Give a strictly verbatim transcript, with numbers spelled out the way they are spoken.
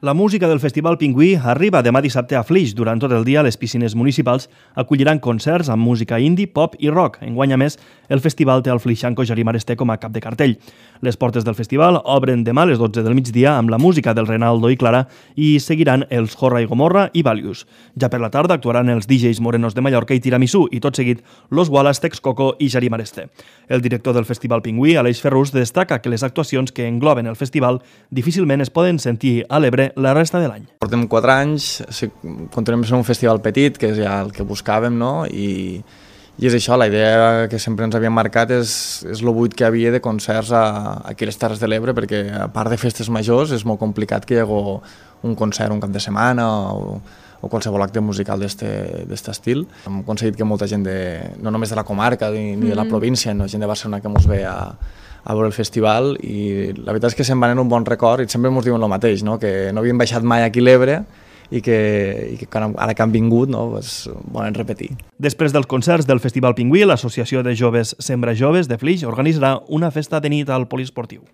La música del Festival Pingüí arriba demà dissabte a Flix. Durant tot el dia, les piscines municipals acolliran concerts amb música indie, pop i rock. Enguany, a més, el festival té el flixanco Jari Maresté com a cap de cartell. Les portes del festival obren demà a les dotze del migdia amb la música del Renaldo i Clara i seguiran els Jorra i Gomorra i Valius. Ja per la tarda actuaran els D Js Morenos de Mallorca i Tiramisú i tot seguit Los Wallace, Texcoco i Jari Maresté. El director del Festival Pingüí, Aleix Ferrús, destaca que les actuacions que engloben el festival difícilment es poden sentir a l'Ebre la resta de l'any. Portem quatre anys, continuem sent un festival petit, que és ja el que buscàvem, no? I, i és això, la idea que sempre ens havíem marcat és, és el buit que hi havia de concerts a, aquí a les Terres de l'Ebre, perquè a part de festes majors és molt complicat que hi hagi un concert un cap de setmana o, o qualsevol acte musical d'aquest estil. Hem aconseguit que molta gent, de, no només de la comarca ni, ni de la província, no, gent de Barcelona que ens ve a a veure el festival, i la veritat és que se'n van en un bon record i sempre ens diuen el mateix, no? Que no havien baixat mai aquí a l'Ebre i que, i que ara que han vingut, no? Pues, volen repetir. Després dels concerts del Festival Pingüí, l'Associació de Joves Sembra Joves de Flix organitzarà una festa de nit al poliesportiu.